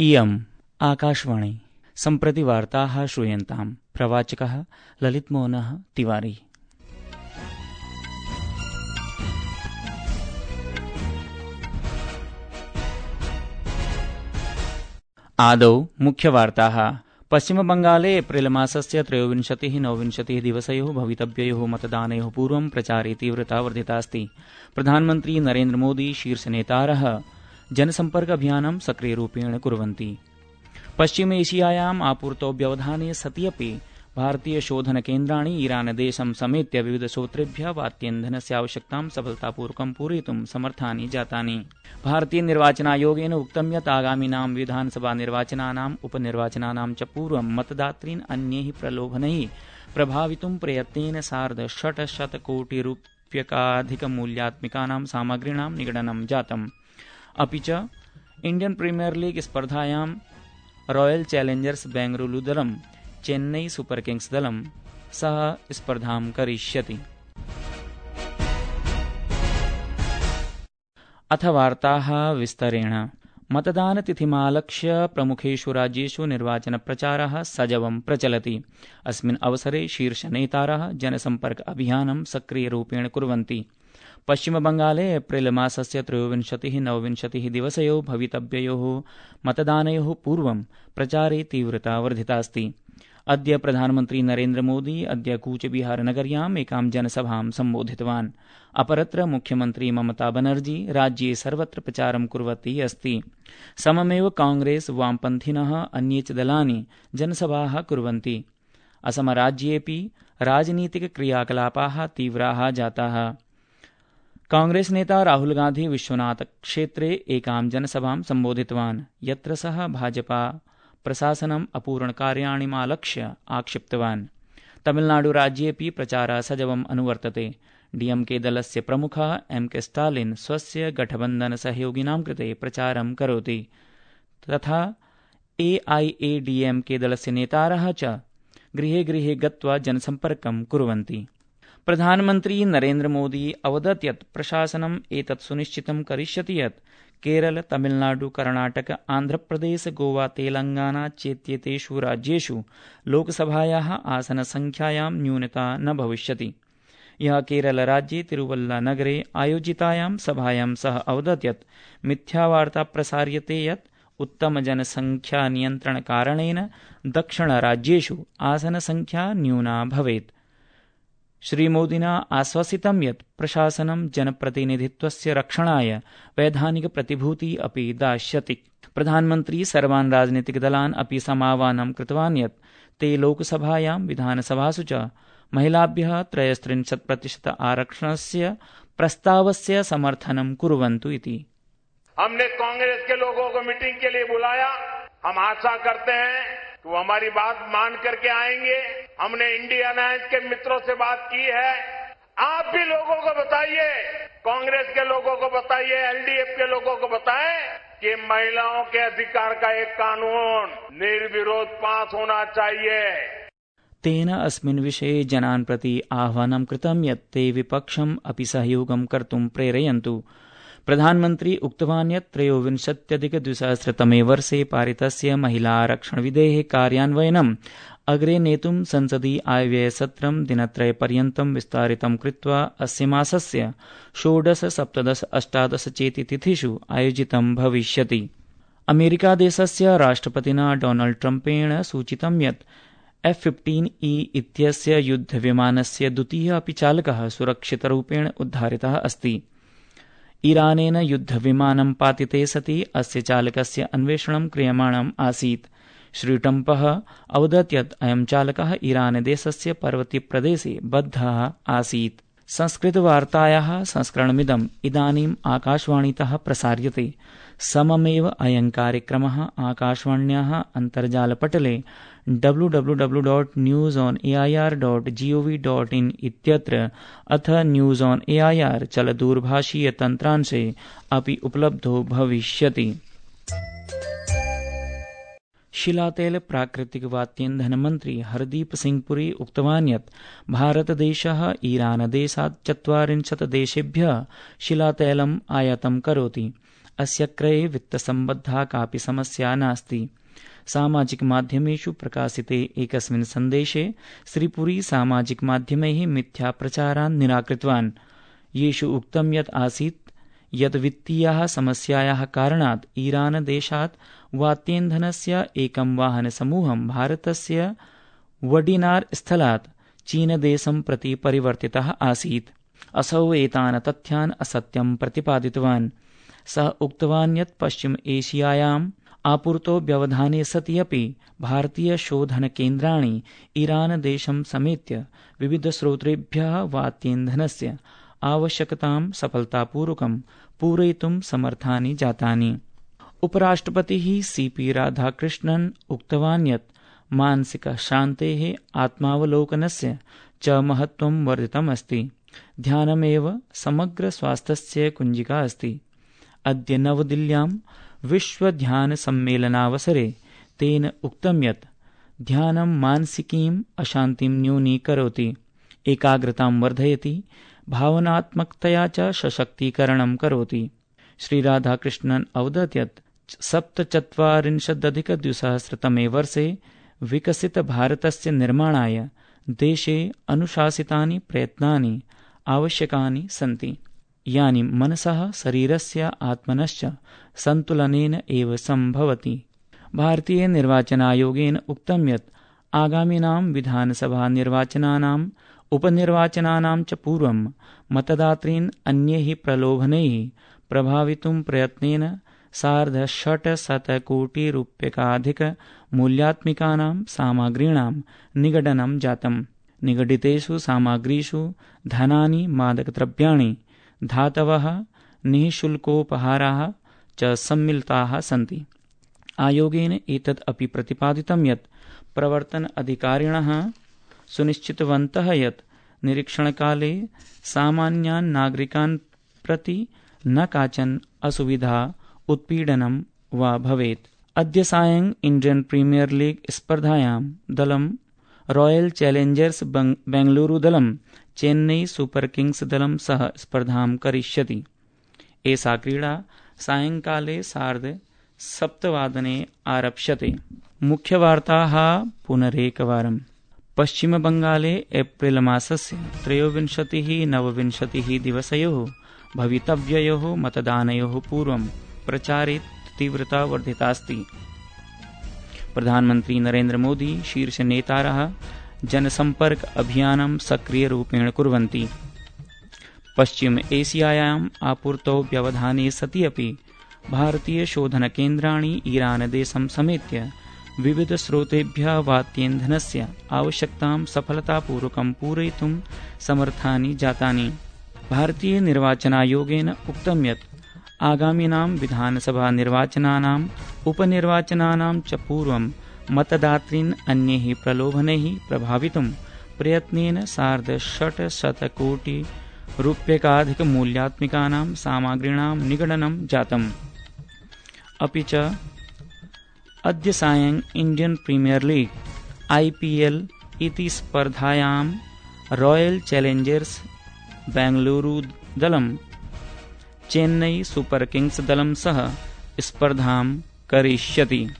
इयम् आकाशवाणी। सम्प्रति वार्ताः श्रूयन्ताम्। प्रवाचकः ललितमोहनः तिवारी। आदौ मुख्यवार्ताः। पश्चिमबंगाले एप्रिल मासस्य 23-29 दिवसयोः भवितव्ययोः मतदानयोः पूर्वं प्रचारे तीव्रता वर्धितास्ति। प्रधानमन्त्री नरेन्द्र मोदी शीर्षनेतारः जनसम्पर्क अभियानं सक्रियरूपेण कुर्वन्ति। पश्चिम एशियायाम् आपूर्तव्यवधाने सति अपि भारतीयशोधनकेन्द्राणि ईरानदेशं समेत्य विविधस्रोतेभ्यः वात्यन्धनस्य आवश्यकतां सफलतापूर्वकं पूरयितुं समर्थानि जातानि। भारतीयनिर्वाचनायोगेन उक्तं यत् आगामिनां विधानसभानिर्वाचनानाम् उपनिर्वाचनानां च पूर्वं मतदातॄन् अन्यैः प्रलोभनैः प्रभावितुं प्रयत्नेन सार्ध-600 कोटिरूप्यकाधिकमूल्यात्मिकानां सामग्रीणां निगडनं जातम्। अपि च इण्डियन् प्रीमियर लीग स्पर्धायां रॉयल चैलेंजर्स बेंगलुरु दलं चेन्नई सुपर किंग्स दलं सह स्पर्धां करिष्यति। अथ वार्ताः विस्तरेण। मतदानतिथिमालक्ष्य प्रमुखेषु राज्येषु निर्वाचनप्रचारः सजवं प्रचलति। अस्मिन् अवसरे शीर्षनेतारः जनसम्पर्क अभियानं सक्रियरूपेण कुर्वन्ति। पश्चिमबंगाले एप्रिल मासस्य 23-29 दिवसयोः भवितव्ययोः मतदानयोः पूर्वं प्रचारे तीव्रता वर्धितास्ति। अद्य प्रधानमन्त्री नरेन्द्र मोदी अद्य कूचबिहारनगर्याम् एकां जनसभां सम्बोधितवान्। अपरत्र मुख्यमन्त्री ममता बनर्जी राज्ये सर्वत्र प्रचारं कुर्वती अस्ति। सममेव कांग्रेस, वामपन्थिनः अन्ये च दलानि जनसभाः कुर्वन्ति। असमराज्येऽपि राजनीतिकक्रियाकलापाः तीव्राः जाताः। कांग्रेस नेता राहुल गांधी विश्वनाथ क्षेत्रे एकां जनसभां सम्बोधितवान्, यत्र सः भाजपा प्रशासनम् अपूर्णकार्याणिमालक्ष्य आक्षिप्तवान्। तमिलनाडुराज्येऽपि प्रचारः सजवम् अनुवर्तते। डीएमके दलस्य प्रमुखः एमके स्टालिन् स्वस्य गठबन्धनसहयोगिनां कृते प्रचारं करोति, तथा एआईएडीएमके दलस्य नेतारः च गृहे गृहे गत्वा जनसम्पर्कं कुर्वन्ति। प्रधानमन्त्री नरेन्द्र मोदी अवदत् यत् प्रशासनम् एतत् सुनिश्चितं करिष्यति यत् केरल, तमिलनाडु, कर्णाटक, आन्ध्रप्रदेश, गोवा, तेलंगाना चेत्येतेषु राज्येषु लोकसभायाः आसनसंख्यायां न्यूनता न भविष्यति। यः केरलराज्ये तिरुवल्लानगरे आयोजितायां सभायां सः अवदत् यत् मिथ्यावार्ता प्रसार्यते यत् उत्तमजनसंख्यानियन्त्रणकारणेन दक्षिणराज्येषु आसनसंख्या न्यूना भवेत्। श्रीमोदिना आश्वासितं यत् प्रशासनं जनप्रतिनिधित्वस्य रक्षणाय वैधानिकप्रतिभूति अपि दास्यति। प्रधानमन्त्री सर्वान् राजनीतिकदलान् अपि समाह्वानं कृतवान् यत् ते लोकसभायां विधानसभासु च महिलाभ्यः 33% आरक्षणस्य प्रस्तावस्य समर्थनं कुर्वन्तु इति। हमने कांग्रेस के लोगों को मीटिंग के लिए बुलाया। हम आशा करते हैं कि वो हमारी बात मान करके आएंगे। हमने इंडिया अलायंस के मित्रों से बात की है। आप भी लोगों को बताइए, कांग्रेस के लोगों को बताइए, एलडीएफ के लोगों को बताएं कि महिलाओं के अधिकार का एक कानून निर्विरोध पास होना चाहिए। तेन अस्मिन् विषये जनान् प्रति आह्वानं कृतं यत् ते विपक्षम् अपि सहयोगं कर्तुं प्रेरयन्तु। प्रधानमन्त्री उक्तवान् यत् 23-2003 वर्षे पारितस्य महिला आरक्षणविधेः कार्यान्वयनम् अग्रे नेतुं संसदि आयव्ययसत्रं दिनत्रयपर्यन्तं विस्तारितं कृत्वा अस्य मासस्य 16, 17, 18 चेति तिथिषु आयोजितं भविष्यति। अमेरिकादेशस्य राष्ट्रपतिना डोनाल्ड ट्रम्पेण सूचितं यत् F-15E इत्यस्य युद्धविमानस्य द्वितीयः अपि चालकः सुरक्षितरूपेण उद्धारितः अस्ति। ईरानेन युद्धविमानं पातिते सति अस्य चालकस्य अन्वेषणं क्रियमाणम् आसीत्। श्री ट्रम्पः अवदत् यत् अयं चालकः ईरानदेशस्य पर्वतीयप्रदेशे बद्धः आसीत्। संस्कृतवार्तायाः संस्करणमिदम् इदानीम् आकाशवाणीतः प्रसार्यते। सममेव अयं कार्यक्रमः आकाशवाण्याः अन्तर्जालपटले www.newsonair.gov.in इत्यत्र अथ न्यूज़ ऑन एआईआर चलदूरभाषीयतन्त्रांशे अपि उपलब्धो भविष्यति। शिलातेल प्राकृतिक वात्यन्धन मन्त्री हरदीप सिंह पुरी उक्तवान् यत् भारतदेशः ईरानदेशात् 40 देशेभ्यः शिलातैलम् आयातं करोति। अस्य क्रये वित्तसम्बद्धा कापि समस्या नास्ति। सामाजिकमाध्यमेषु प्रकाशिते एकस्मिन् सन्देशे श्रीपुरी सामाजिकमाध्यमैः मिथ्याप्रचारान् निराकृतवान्, येषु उक्तं यत् आसीत् यत् वित्तीयाः समस्यायाः कारणात् ईरान देशात् वात्येन्धनस्य एकं वाहनसमूहं भारतस्य वडिनार स्थलात् चीनदेशं प्रति परिवर्तितः आसीत्। असौ एतान् तथ्यान् असत्यं प्रतिपादितवान्। सः उक्तवान् यत् पश्चिम एशियायाम् आपूर्तो व्यवधाने सति अपि भारतीयशोधनकेन्द्राणि ईरानदेशं समेत्य विविधस्रोतेभ्यः वात्येन्धनस्य आवश्यकतां सफलतापूर्वकं पूरयितुं समर्थानि जातानि। उपराष्ट्रपतिः सीपी राधाकृष्णन् उक्तवान् यत् मानसिकशान्तेः आत्मावलोकनस्य च महत्त्वं वर्धितमस्ति। ध्यानमेव समग्रस्वास्थ्यस्य कुञ्जिका अस्ति। अद्य नवदिल्ल्यां विश्वध्यानसम्मेलनावसरे तेन उक्तं यत् ध्यानं मानसिकीम् अशान्तिं न्यूनीकरोति, एकाग्रतां वर्धयति, भावनात्मकतया च सशक्तीकरणं करोति। श्रीराधाकृष्णन् अवदत् यत् 47-अधिक-2000तमे वर्षे विकसितभारतस्य निर्माणाय देशे अनुशासितानि प्रयत्नानि आवश्यकानि सन्ति, यानि मनसः, शरीरस्य, आत्मनश्च सन्तुलनेन एव सम्भवति। भारतीयनिर्वाचनायोगेन उक्तं यत् आगामिनां विधानसभानिर्वाचनानाम् उपनिर्वाचनानां च पूर्वं मतदातॄन् अन्यैः प्रलोभनैः प्रभावितुं प्रयत्नेन 650 कोटिरूप्यकाधिकमूल्यात्मिकानां सामग्रीणां निगडनं जातम्। निगडितेषु सामग्रीषु धनानि, मादकद्रव्याणि, धातवः, निःशुल्कोपहाराः च सम्मिलिताः सन्ति। आयोगेन एतत् अपि प्रतिपादितं यत् प्रवर्तन अधिकारिणः सुनिश्चितवन्तः यत् निरीक्षणकाले सामान्यान् नागरिकान् प्रति न काचन असुविधा, उत्पीडनं वा भवेत्। अद्य सायं इण्डियन् प्रीमियर लीग स्पर्धायां दलं रॉयल चैलेंजर्स बेंगलुरु दलं चेन्नई सुपर किंग्स दलं सह स्पर्धां करिष्यति। एषा क्रीडा सायंकाले 7:30 आरप्स्यते। मुख्यवार्ताः पुनरेकवारम्। पश्चिमबंगाले एप्रिल मासस्य 23-29 दिवसयोः भवितव्ययोः मतदानयोः पूर्वं प्रचारे तीव्रता वर्धितास्ति। प्रधानमन्त्री नरेन्द्र मोदी शीर्षनेतारः जनसम्पर्क अभियानं सक्रियरूपेण कुर्वन्ति। पश्चिम एशियायाम् आपूर्तौ व्यवधाने सति अपि भारतीयशोधनकेन्द्राणि ईरानदेशं समेत्य विविधस्रोतेभ्यः वात्येन्धनस्य आवश्यकतां सफलतापूर्वकं पूरयितुं समर्थानि जातानि। भारतीयनिर्वाचनायोगेन उक्तं यत् आगामिनां विधानसभानिर्वाचनानाम् उपनिर्वाचनानां च पूर्वं मतदातॄन् अन्यैः प्रलोभनैः प्रभावितुं प्रयत्नेन 650 कोटिरूप्यकाधिकमूल्यात्मिकानां सामग्रीणां निगडनं जातम्। अपि च अद्य सायं इण्डियन् प्रीमियर लीग IPL इति स्पर्धायां रॉयल चैलेंजर्स बेंगलुरु दलं चेन्नई सुपर किंग्स दलं सह स्पर्धां करिष्यति।